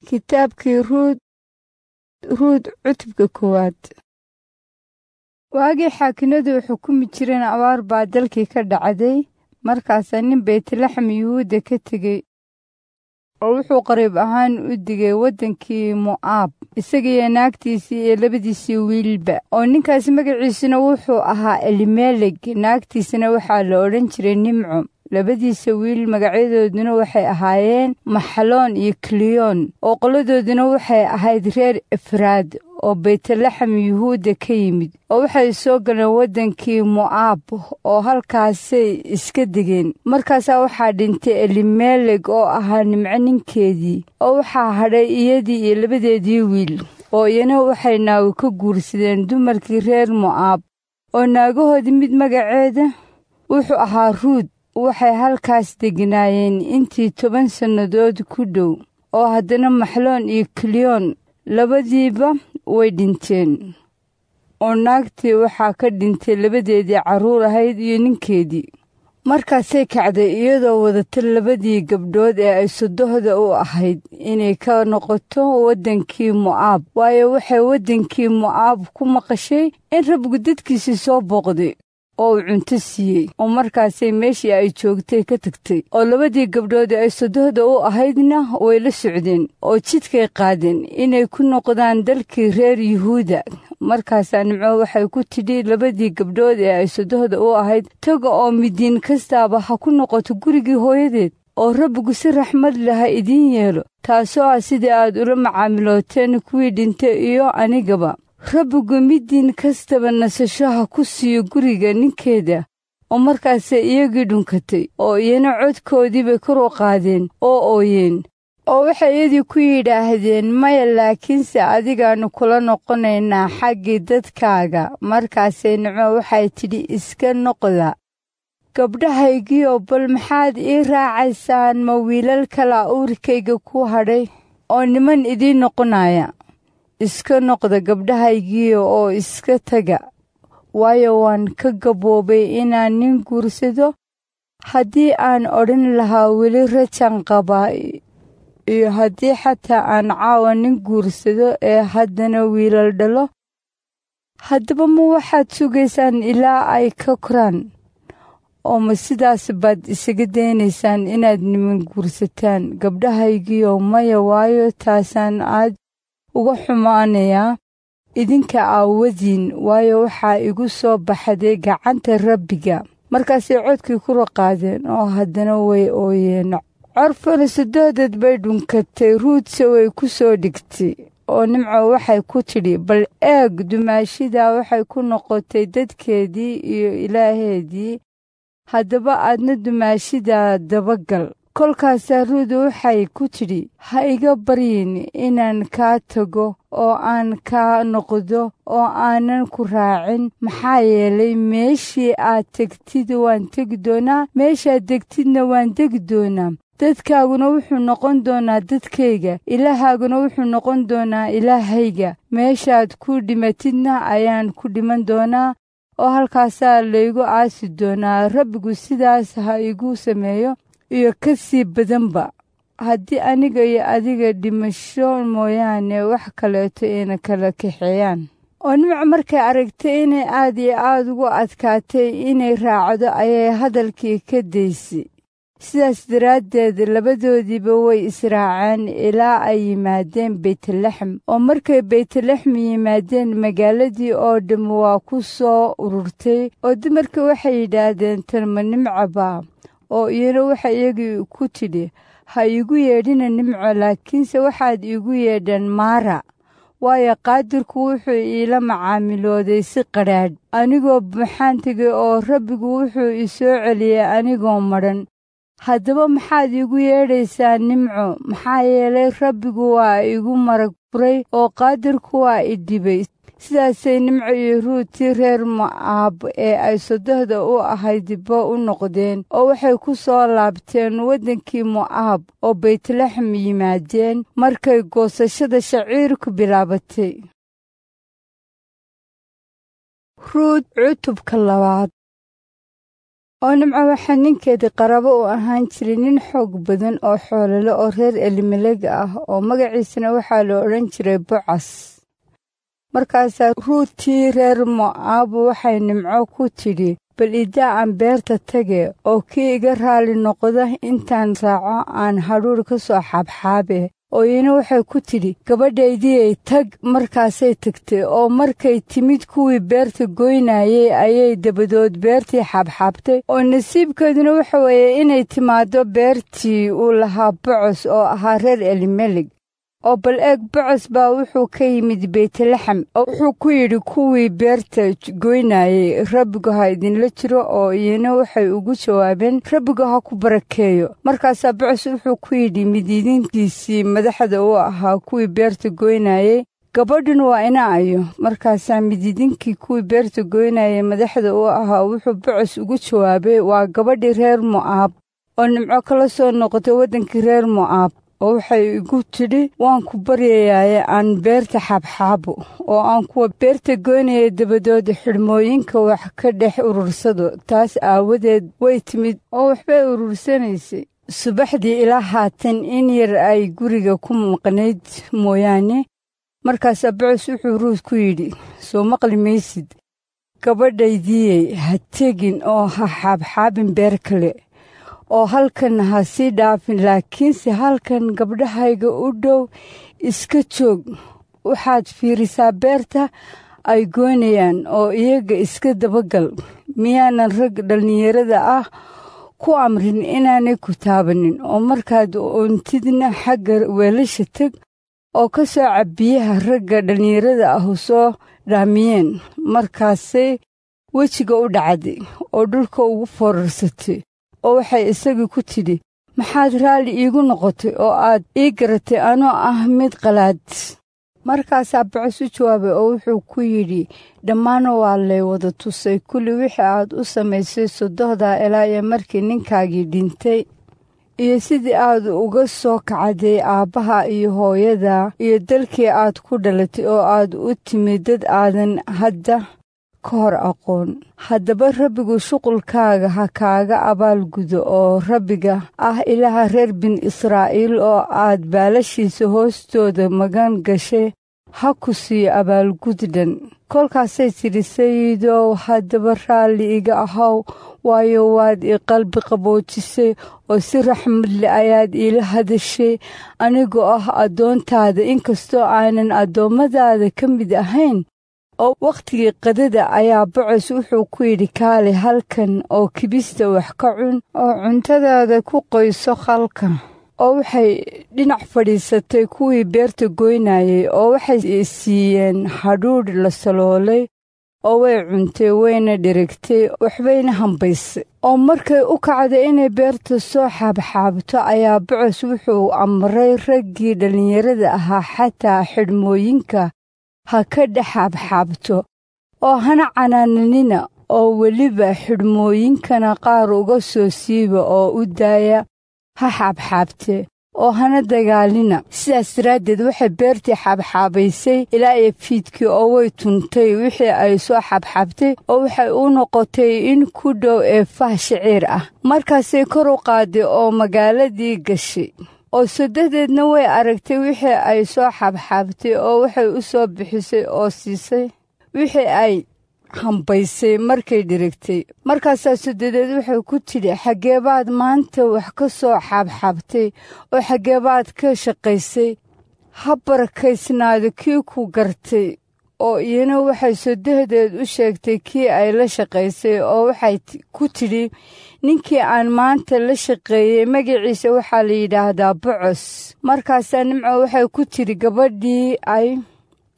Kitaabkii Ruut. Ruut cutubka koowaad. Waagii xaakinadu xukumi jireen abaar baa dalkii ka dhacday. Markaasaa nin Beytlaxam Yuhuudda ka tegey oo wuxuu qariib ahaan u digay waddankii Mo'aab, isagiiyo naagtiisii iyo labadiisii wiilba. Oo ninkaas magaciisuna wuxuu ahaa Elimeleg, naagtiisana waxaa la odhan jiray Nimco. Labadiisa wiil magacyadooduna waxay ahaayeen Maxloon iyo Kiliyoon, oo qoladooduna waxay ahayd reer Efraad oo Beytlaxam Yuhuudda ka yimid, oo waxay soo galeen waddankii Mo'aab oo halkaasay iska degeen. Markaasaa waxaa dhintay Elimeleg oo ahaa Nimco ninkeedii, oo waxaa hadhay iyadii iyo labadeedii wiil, oo iyana waxay naago ka guursadeen dumarkii reer Mo'aab. Oo naagahoodii mid magaceeda wuxuu ahaa Ruut. Waxay halkaas degnaayeen intii 10 sannadood ku dhow, oo haddana Maxloon iyo Kiliyoon labadiiba way dhinteen. Oo naagtii waxaa ka dhintay labadeedii carruur ahayd iyo ninkeedii. Markaasay kacday iyadoo wadata labadii gabdhood ee ay sodohda u ahayd inay ka noqoto waddankii Mo'aab, waayo waxay waddankii Mo'aab ku maqashay in Rabbigu dadkiisii soo booqday oo uu cunto siiyey. Oo markaasay meeshii ay joogtay ka tagtay, oo labadii gabdhood ee ay sodohda u ahaydna way la socdeen, oo jidkay qaadeen inay ku noqdaan dalkii reer Yuhuuda. Markaasaa Nimco waxay ku tidhi labadii gabdhood ee ay sodohda u ahayd, taga oo midiin kastaaba ha ku noqoto gurigii hooyadeed, oo Rabbigu si raxmad leh ha idiin yeelo, taasoo ah sidii aad ula macaamilooteen kuwii dhintay iyo anigaba. Rabbigu midiin kastaba nasasho ha ku siiyo guriga ninkeeda. Oo markaasay iyagii dhunkatay, oo iyana codkoodii bay kor u qaadeen oo ooyeen. Oo waxay iyadii ku yidhaahdeen, maya, laakiinse adigaannu kula noqonaynaa xaggii dadkaaga. Markaasay Nimco waxay tidhi, iska noqda gabdhahaygiiyo, bal maxaad ii raacaysaan? Ma wiilal kalaa uurkayga ku hadhay oo niman idiin noqonaya? Iska noqda gabdhahaygiiyo oo iska taga, waayo waan ka gaboobay inaan nin guursado. Haddii aan odhan lahaa weli rajan qabaa, iyo haddii xataa aan caawa nin guursado ee haddana wiilal dhalo, haddaba ma waxaad sugaysaan ilaa ay ka koraan? Oo ma sidaas baad isaga daynaysaan inaad niman guursataan, gabdhahaygiiyo? Maya, waayo taasaan aad uga xumaanayaa idinka aawadiin, waayo waxaa igu soo baxday gacanta Rabbiga. Markaasay codkii kula qaadeen, oo haddana way ooyeen. Corfana sodohdeed bay dhunkatay, Ruutse way ku soo dhigtay. Oo Nimco waxay ku tidhi, bal eeg, dumaashidaa waxay ku noqotay dadkeedii iyo ilaaheedii, haddaba aadna dumaashidaa dabagal. Kolkaasaa Ruut waxay ku tidhi, ha iga baryin inaan kaa tago oo aan kaa noqdo oo aanan ku raacin, maxaa yeelay meeshii aad tegtid waan tegi doonaa, meeshaad degtidna waan degi doonaa. Dadkaaguna wuxuu noqon doonaa dadkayga, Ilaahaaguna wuxuu noqon doonaa Ilaahayga. Meeshaad ku dhimatidna ayaan ku dhiman doonaa, oo halkaasaa laygu aasi doonaa. Rabbigu sidaas ha igu sameeyo iyo ka sii badanba, haddii aniga iyo adiga dhimasho mooyaane wax kaleeto ina kala kaxeeyaan. Oo Nimco markay aragtay inay aad iyo aad ugu adkaatay inay raacdo, ayay hadalkii ka daysay. Sidaas daraaddeed labadoodiiba way israaceen ilaa ay yimaadeen Beytlaxam. Oo markay Beytlaxam yimaadeen, magaaladii oo dhamm waa ku soo ururtay, oo dumarkii waxay yidhaahdeen, tan ma Nimco baa? Oo iyana waxay iyagii ku tidhi, ha iigu yeedhina Nimco, laakiinse waxaad iigu yeedhaan Maara, waayo Qaadirku wuxuu iila macaamilooday si qadhaadh. Anigoo buuxaan tegay, oo Rabbigu wuxuu i soo celiyey anigoo madhan. Haddaba maxaad iigu yeedhaysaa Nimco? Maxaa yeelay Rabbigu waa igu marag furay, oo Qaadirku waa i dhibay. Sidaasay Nimco iyo Ruutii reer Mo'aab ee ay sodohda u ahaydba u noqdeen, oo waxay ku soo laabteen waddankii Mo'aab oo Beytlaxam yimaadeen markay goosashada shaciirku bilaabatay. Ruut cutubka labaad. Oo Nimco waxaa ninkeedii qaraabo u ahaan jiray nin xoog badan oo xoolole oo reer Elimeleg ah, oo magaciisana waxaa la odhan jiray Bocas. Markaasaa Ruutii reer Mo'aab waxay Nimco ku tidhi, bal idaa aan beerta tage, oo kii iga raalli noqda intaan raaco aan hadhuudh ka soo xaabxaabe. Oo iyana waxay ku tidhi, gabadhaydiyey tag. Markaasay tagtay, oo markay timid kuwii beerta goynayay ayay dabadood beertii xaabxaabtay. Oo nasiibkeeduna waxa weeye inay timaaddo beertii uu lahaa Bocos oo ahaa reer Elimeleg. Oo bal eeg, Bocos baa wuxuu ka yimid Beytlaxam, oo wuxuu ku yidhi kuwii beerta goynayay, Rabbigu ha idinla jiro. Oo iyana waxay ugu jawaabeen, Rabbigu ha ku barakeeyo. Markaasaa Bocos wuxuu ku yidhi midiidinkiisii madaxda u ahaa kuwii beerta goynayay, gabadhuna waa ina ayo. Markaasaa midiidinkii kuwii beerta goynayay madaxda u ahaa wuxuu Bocos ugu jawaabay, waa gabadhii reer Mo'aab oo Nimco kala soo noqotay waddankii reer Mo'aab. Oo waxay igu tidhi, waan ku baryayaaye aan beerta xaabxaabo, oo aan kuwa beerta goynaya dabadood xidhmooyinka wax ka dhex urursado. Taas aawadeed way timid oo waxbay urursanaysay subaxdii ilaa haatan in yar ay guriga ku maqnayd mooyaane. Markaasaa Bocos wuxuu Ruut ku yidhi, soo maqli maysid gabadhaydiyey, ha tegin oo ha xaabxaabin beer kale, oo halkan ha sii dhaafin, laakiinse halkan gabdhahayga u dhow iska joog. Waxaad fiirisaa beerta ay goynayaan oo iyaga iska dabagal. Miyaanan rag dhallinyarada ah ku amrin inaanay ku taabanin? Oo markaad oontidna xagga weelasha teg oo ka soo cab biyaha ragga dhallinyarada ah soo dhaamiyeen. Markaasay wejiga u dhacday oo dhulka ugu foorarsatay, oo waxay isagii ku tidhi, maxaad raalli iigu noqotay oo aad ii garatay anoo ah mid qalaad? Markaasaa Bocos u jawaabay oo wuxuu ku yidhi, dhammaana waa lay wada tusay kulli wixii aad u samaysay sodohdaa ilaa iyo markii ninkaagii dhintay, iyo sidii aad uga soo kacday aabbaha iyo hooyada iyo dalkii aad ku dhalatay, oo aad u timid dad aadan hadda ka hor aqoon. Haddaba Rabbigu shuqulkaaga ha kaaga abaalgudo, oo Rabbiga ah Ilaaha reer bin Israa'iil oo aad baalashiisa hoostooda magan gashay ha ku siiyo abaalgud dhan. Kolkaasay tidhi, Sayidow, haddaba raalli iga ahow, waayo waad i qalbi qaboojisay oo si raxmad leh ayaad iila hadashay anigoo ah addoontaada, inkastoo aanan addoommadaada ka mid ahayn. Oo wakhtigii qadada ayaa Bocos wuxuu ku yidhi, kaali halkan oo kibista wax ka cun oo cuntadaada ku qoyso khalka. Oo waxay dhinac fadhiisatay kuwii beerta goynayay, oo waxay siiyeen hadhuudh la saloolay, oo way cuntay, wayna dherigtay, waxbayna hambaysay. Oo markay u kacday inay beerta soo xaabxaabto ayaa Bocos wuxuu amray raggii dhallinyarada ahaa, xataa xidhmooyinka ha ka dhex xaabxaabto, oo hana canaananina, oo weliba xidhmooyinkana qaar uga soo siiba oo u daaya ha xaabxaabtee, oo hana dagaalina. Sidaas daraaddeed waxay beertii xaabxaabaysay ilaa iyo fiidkii, oo way tuntay wixii ay soo xaabxaabtay, oo waxay u noqotay in ku dhow eefah shaciir ah. Markaasay kor u qaaday oo magaaladii gashay, oo sodadeedna way aragtay wixii ay soo xaabxaabtay, oo waxay u soo bixisay oo siisay wixii ay hambaysay markay dhirigtay. Markaasaa sodadeed waxay ku tidhi, xaggee baad maanta wax ka soo xaabxaabtay, oo xaggee baad ka shaqaysay? Ha barakaysnaado kii ku gartay. Oo iyana waxay sodadeed u sheegtay kii ay la shaqaysay, oo waxay ku tidhi, ninkii aan maanta la shaqeeyey magaciisa waxaa la yidhaahdaa Bocos. Markaasaa Nimco waxay ku tidhi gabadhii ay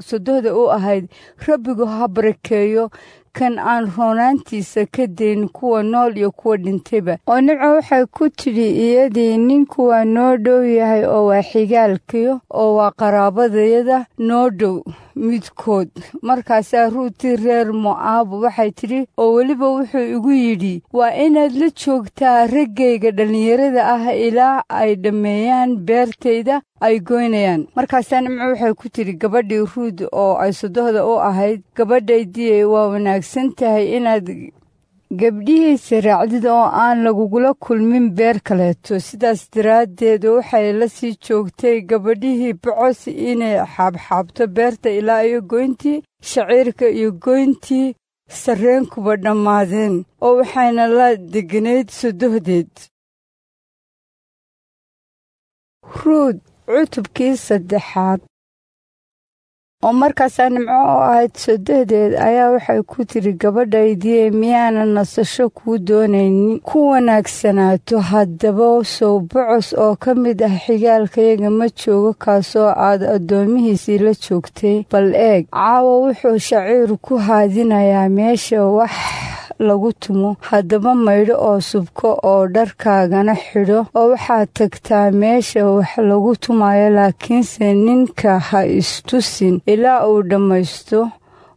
sodohda u ahayd, Rabbigu ha barakeeyo kan aan roonaantiisa ka dayn kuwa nool iyo kuwa dhintayba. Oo Nimco waxay ku tidhi iyadii, ninku waa noo dhow yahay, oo waa xigaalkiyo, oo waa qaraabadayada noo dhow midkood. Markaasaa Ruutii reer Mo'aab waxay tidhi, oo weliba wuxuu igu yidhi, waa inaad la joogtaa raggayga dhallinyarada ah ilaa ay dhammeeyaan beertayda ay goynayaan. Markaasaa Nimco waxay ku tidhi gabadhii Ruud oo ay sodohda u ahayd, gabadhaydii, waa wanaagsan tahay inaad Gabdhihiisa raacdid oo aan lagugula kulmin beer kaleeto. Sidaas daraaddeed waxay la sii joogtay gabadhihii Bocos inay xaabxaabto beerta ilaa iyo goyntii shaciirka iyo goyntii sarreenkuba dhammaadeen, oo waxayna la degganayd sodohdeed. Ruut cutubkii saddexaad. Oo markaasaa Nimco oo ahayd sodohdeed ayaa waxay ku tidhi, gabadhaydii, miyaanan nasasho kuu doonaynin ku wanaagsanaato? Haddaba sow Bocos oo ka mid ah xigaalkayaga ma joogo, kaasoo aad addoomihiisii la joogtay? Bal eeg, caawa wuxuu shaciir ku haadinayaa meesha wax lagu tumo. Haddaba maydho oo subko oo dharkaagana xidho, oo waxaad tagtaa meesha wax lagu tumayo, laakiinse ninka ha istusin ilaa uu dhammaysto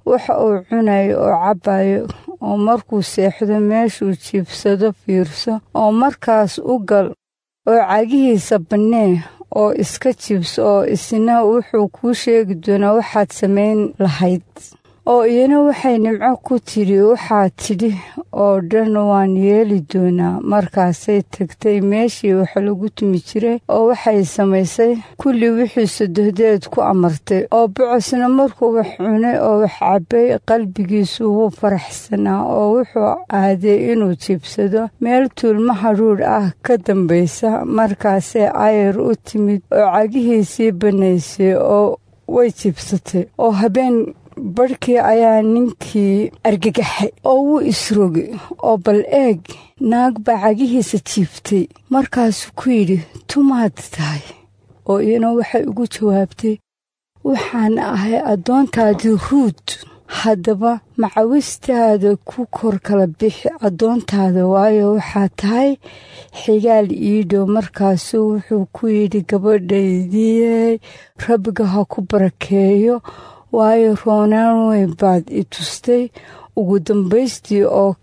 waxa uu cunayo oo cabbayo. Oo markuu seexdo meeshuu jiibsado fiirso, oo markaas u gal oo cagihiisa bannee oo iska jiibso, oo isna wuxuu kuu sheegi doonaa waxaad samayn lahayd. Oo iyana waxay Nimco ku tidhi, waxaad tidhi oo dhan waan yeeli doonaa. Markaasay tagtay meeshii wax lagu tumi jiray, oo waxay samaysay kulli wixii sodohdeed ku amartay. Oo Bocosna markuu wax cunay oo wax cabbay, qalbigiisu wuu faraxsanaa, oo wuxuu aaday inuu jiibsado meel tuulmo hadhuudh ah ka dambaysa. Markaasay Ayar u timid oo cagihiisii bannaysay oo way jiibsatay. Oo habeen barhkii ayaa ninkii argagaxay oo wuu isrogay, oo bal eeg, naag baa cagihiisa jiiftay. Markaasuu ku yidhi, tumaad tahay? Oo iyana waxay ugu jawaabtay, waxaan ahay addoontaadii Ruut. Haddaba macawistaada ku kor kala bixi addoontaada, waayo waxaa tahay xigaal ii dhow. Markaasuu wuxuu ku yidhi, gabadhaydii, Rabbiga ha ku barakeeyo, waayo roonaan weyn baad i tustay ugu dambaystii oo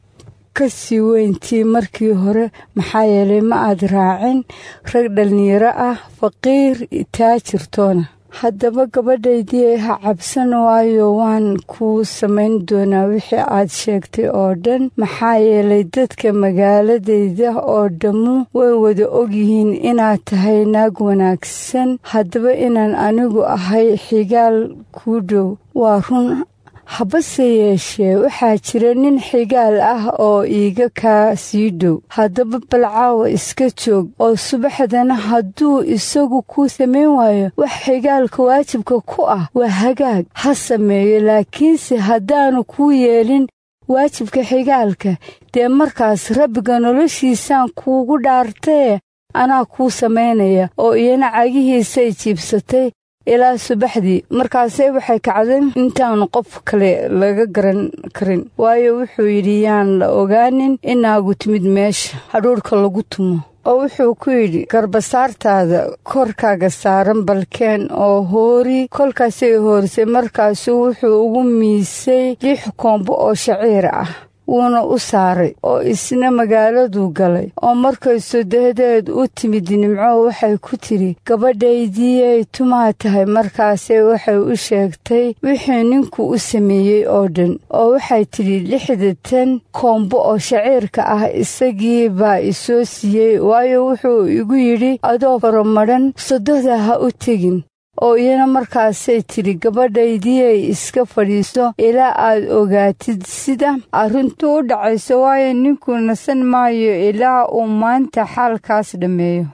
ka sii weyntii markii hore, maxaa yeelay ma aad raacin rag dhallinyaro ah, faqiir taajirtoona. Haddaba gabadhaydii, ha cabsan, waayo waan kuu samayn doonaa wixii aad sheegtay oo dhan, maxaa yeelay dadka magaaladayda oo dhammu way wada ogyihiin inaad tahay naag wanaagsan. Haddaba inaan anigu ahay xigaal kuu dhow waa run, habase yeeshee waxaa jira nin xigaal ah oo iiga kaa sii dhow. Haddaba bal caawa iska joog, oo subaxdana hadduu isagu kuu samayn waayo wax xigaalka waajibka ku ah, waa hagaag, ha sameeyo. Laakiinse haddaanu kuu yeelin waajibka xigaalka, dee markaas Rabbiga noloshiisaan kuugu dhaartaye anaa kuu samaynaya. Oo iyana cagihiisay jiibsatay ilaa subaxdii. Markaasay waxay kacday intaanu qof kale laga garan karin, waayo wuxuu yidhi, yaan la ogaanin inaagu timid meesha hadhuudhka lagu tumo. Oo wuxuu ku yidhi, garbasaartaada korkaaga saaran balkeen oo hoori. Kolkaasay hoorisay. Markaasuu wuxuu ugu miisay 6 koombo oo shaciir ah, wuuna u saaray, oo isna magaaladuu galay. Oo markay sodohdeed u timid Nimco, waxay ku tidhi, gabadhaydiyey, tumaa tahay? Markaasay waxay u sheegtay wixii ninku u sameeyey oo dhan. Oo waxay tidhi, 60 koombo oo shaciirka ah isagii baa isoo siiyey, waayo wuxuu igu yidhi, adoo faramadhan sodohda ha u tegin. Oo iyana markaasay tidhi, gabadhaydiyey, iska fadhiiso ilaa aad ogaatid sida arrintu u dhacayso, waayo ninku nasan maayo ilaa uu maanta xaalkaas dhammeeyo.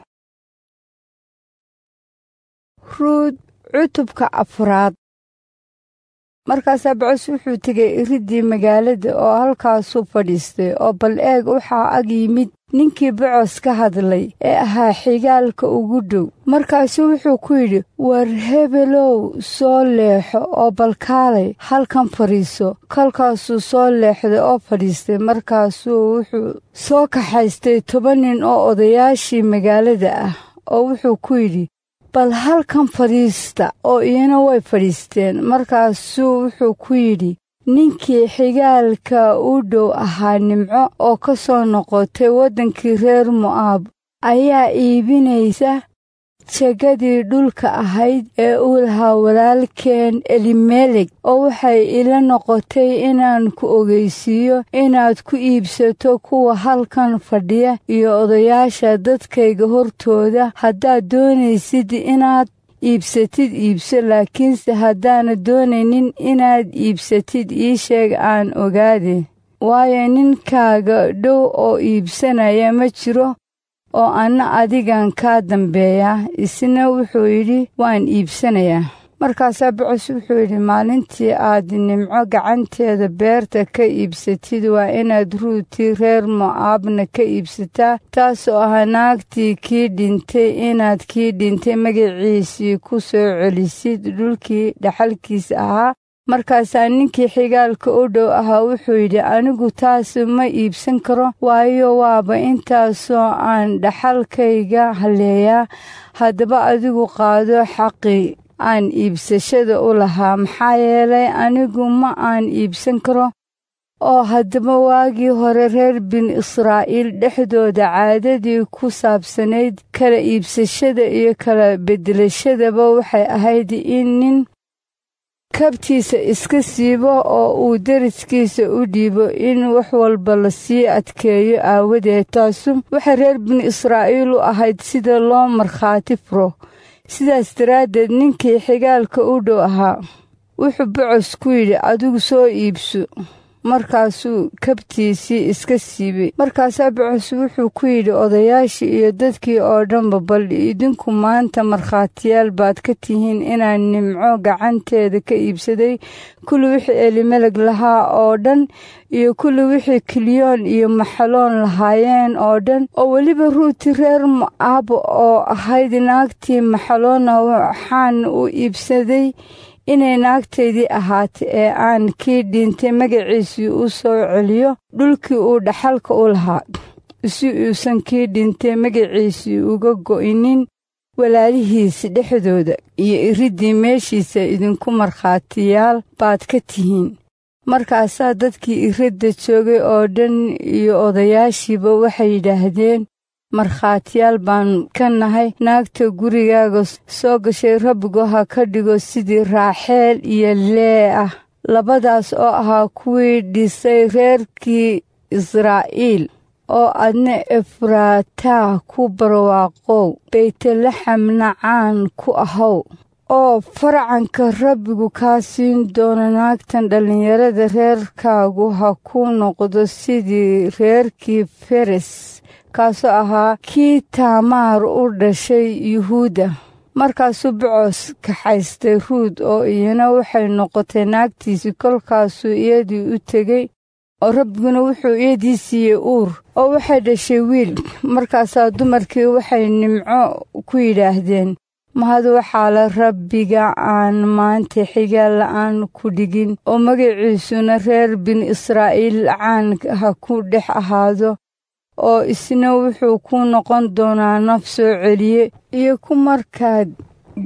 Ruut cutubka afraad. Markaasaa Bocos wuxuu tegey iriddii magaalada oo halkaasuu fadhiistay. Oo bal eeg, waxaa ag yimid ninkii Bocos ka hadlay ee ahaa xigaalka ugu dhow. Markaasuu wuxuu ku yidhi, war hebelow, soo leexo oo balkaalay halkan fadhiiso. Kolkaasuu soo leexday oo fadhiistay. Markaasuu wuxuu soo kaxaystay 10 nin oo odayaashii magaalada ah, oo wuxuu ku yidhi, bal halkan fadhiista. Oo iyana way fadhiisteen. Markaasuu wuxuu ku yidhi ninkii xigaalka u dhow ahaa Nimco oo ka soo noqotay waddankii reer Mo'aab ayaa iibinaysa Jagadii dhulka ahayd ee uu lahaa walaalkeen Elimelek, oo waxay ila noqotay inaan ku ogeysiiyo inaad ku iibsato kuwa halkan fadhiya iyo odayaasha dadkayga hortooda. Haddaad doonaysid inaad iibsatid, iibso, laakiinse haddaanad doonaynin inaad iibsatid, ii sheeg aan ogaade. Waayo, ninkaaga dhow oo iibsanaya ma jiro, oo anna adigan kaa dambeeya. Isna wuxuu yidhi, waan iibsanayaa. Markaasaa Bocos wuxuu yidhi, maalintii aad Nimco gacanteeda beerta ka iibsatid, waa inaad Ruutii reer Mo'aabna ka iibsataa, taasoo ah naagtii kii dhintay, inaad kii dhintay magaciisii ku soo celisid dhulkii dhaxalkiisa ahaa. Markaasaa ninkii xigaalka u dhow ahaa wuxuu yidhi, anigu taas ma iibsan karo, waayo, waaba intaasoo aan dhaxalkayga halleeyaa. Haddaba adigu qaado xaqii aan iibsashada u lahaa, maxaa yeelay, anigu ma aan iibsan karo. Oo haddaba waagii hore reer binu Israa'iil dhexdooda caadadii ku saabsanayd kala iibsashada iyo kala beddelashadaba waxay ahayd in nin kabtiisa iska siibo oo uu deriskiisa u dhiibo, in wax walba la sii adkeeyo aawadeed. Taasu waxay reer binu Israa'iil u ahayd sida loo markhaati furo. Sidaas daraaddeed ninkii xigaalka u dhow ahaa wuxuu Bocos ku yidhi, adigu soo iibso. Markaasuu kabtiisii iska siibay. Markaasaa Bocos wuxuu ku yidhi odayaashii iyo dadkii oo dhanba, bal idinku maanta markhaatiyaal baad ka tihiin inaan Nimco gacanteeda ka iibsaday kulli wixii Elimeleg lahaa oo dhan iyo kulli wixii Kiliyoon iyo Maxaloon lahaayeen oo dhan, oo weliba Ruuti reer Mo'aab oo ahayd naagtii Maxaloonna waxaan u iibsaday inay naagtaydii ahaatay, ee aan kii dhintay magaciisii u soo celiyo dhulkii uu dhaxalka u lahaa, si uusan kii dhintay magaciisii uga go'inin walaalihiis dhexdooda iyo iriddii meeshiisa. Idinku markhaatiyaal baad ka tihiin. Markaasaa dadkii iridda joogay oo dhan iyo odayaashiiba waxay yidhaahdeen, markhaatiyaal baan ka nahay. Naagta gurigaaga soo gashay Rabbigu ha ka dhigo sidii Raaxeel iyo Lee ah, labadaas oo ahaa kuwii dhisay reerkii Israa'iil. Oo adna Efraataa ku barwaaqow, Beytlaxamna caan ku ahow, oo farcanka Rabbigu kaa siin doono naagtan dhallinyarada reerkaagu ha ku noqdo sidii reerkii Feres, kaasoo ahaa kii Taamaar u dhashay Yuhuudda. Markaasuu Bocos kaxaystay Ruud, oo iyana waxay noqotay naagtiisii. Kolkaasuu iyadii u tegey, oo Rabbiguna wuxuu iyadii siiyey uur, oo waxay dhashay wiil. Markaasaa dumarkii waxay Nimco ku yidhaahdeen, mahad waxaa la Rabbiga aan maanta xigaal la'aan ku dhigin, oo magaciisuna reer binu Israa'iil caan ha ku dhex ahaado, oo isna wuxuu ku noqon doonaa naf soo celiye iyo ku markaad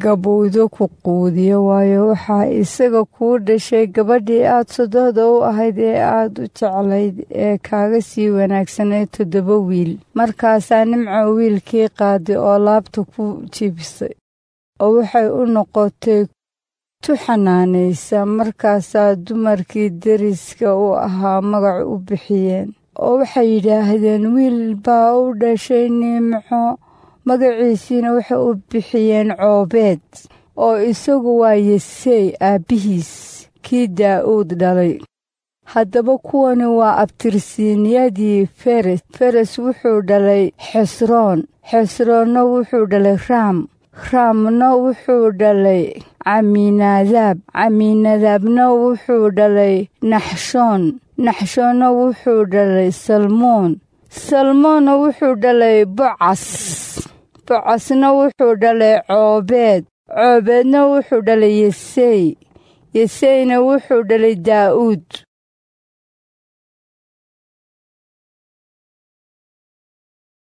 gabowdo ku quudiyo. Waayo, waxaa isaga kuu dhashay gabadhii aad sodohda u ahayd ee aad u jeclayd, ee kaaga sii wanaagsanayd 7 wiil. Markaasaa Nimco wiilkii qaaday oo laabta ku jiibsay, oo waxay u noqotay tu xanaanaysa. Markaasaa dumarkii deriska u ahaa magac u bixiyeen, oo waxay yidhaahdeen, wiil baa u dhashay Nimco. Magaciisiina waxay u bixiyeen Coobeed, oo isagu waa Yesey aabbihiis kii Daa'uud dhalay. Haddaba kuwani waa abtirsiinyadii Feres. Feres wuxuu dhalay Xesroon, Xesroonna wuxuu dhalay Raam, Raamna wuxuu dhalay Camiinadaab, Camiinadaabna wuxuu dhalay Naxshoon, Naxshoonna wuxuu dhalay Salmoon, Salmoonna wuxuu dhalay Bocas, Bocasna wuxuu dhalay Coobeed, Coobeedna wuxuu dhalay Yesey, Yeseyna wuxuu dhalay Daa'uud.